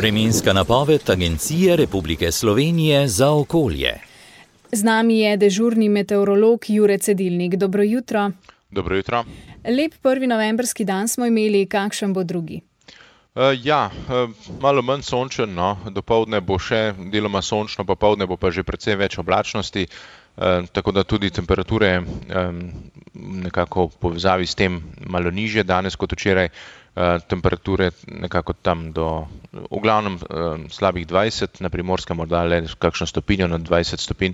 Vremenska napoved Agencije Republike Slovenije za okolje. Z nami je dežurni meteorolog Jure Cedilnik. Dobro jutro. Dobro jutro. Lep 1. novembrski dan smo imeli, kakšen bo drugi? Malo manj sončen, no. Dopoldne bo še deloma sončno, popoldne bo pa že precej več oblačnosti, tako da tudi temperature nekako v povezavi s tem malo nižje danes kot včeraj. Temperature nekako tam do, v glavnem slabih 20, na Primorskem morda le kakšno stopinjo nad 20 stopinj.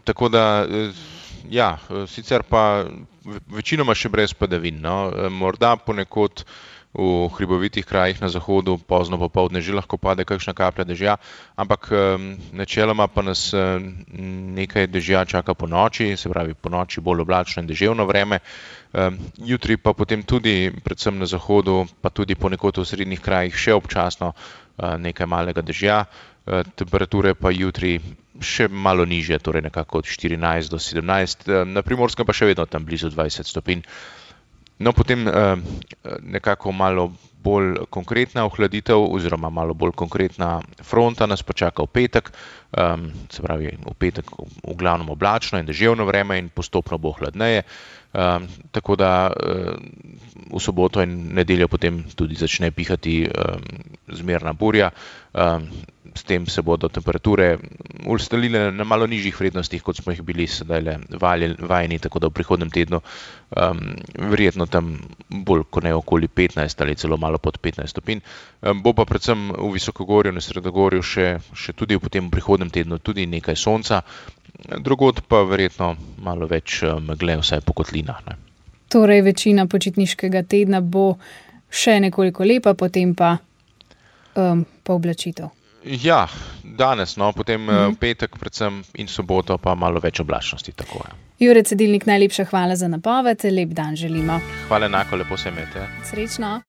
Tako da, sicer pa večinoma še brez padavin, no. Morda ponekod v hribovitih krajih na zahodu pozno popoldne že lahko pade kakšna kaplja dežja, ampak načeloma pa nas nekaj dežja čaka ponoči, se pravi ponoči bolj oblačno in deževno vreme. Jutri pa potem tudi, predvsem na zahodu, pa tudi ponekod v srednjih krajih še občasno nekaj malega dežja. Temperature pa jutri še malo nižje, torej nekako od 14 do 17, na Primorskem pa še vedno tam blizu 20 stopinj. No, potem nekako malo bolj konkretna ohladitev oziroma malo bolj konkretna fronta nas pa čaka v petek, se pravi v petek v glavnem oblačno in deževno vreme in postopno bo hladneje, tako da v soboto in nedeljo potem tudi začne pihati zmerna burja. S tem se bodo temperature ustalile na malo nižjih vrednostih, kot smo jih bili sedajle vajeni, tako da v prihodnjem tednu verjetno tam bolj kot ne okoli 15 ali celo malo pod 15 stopinj. Bo pa predvsem v visokogorju in sredogorju še tudi potem v prihodnjem tednu tudi nekaj sonca, drugod pa verjetno malo več megle, vsaj po kotlinah, ne. Torej večina počitniškega tedna bo še nekoliko lepa, potem pa oblačitev. Ja, danes, no, potem petek predvsem in soboto pa malo več oblačnosti, tako je. Jure Cedilnik, najlepša hvala za napoved, lep dan želimo. Hvala enako, lepo se imejte. Srečno.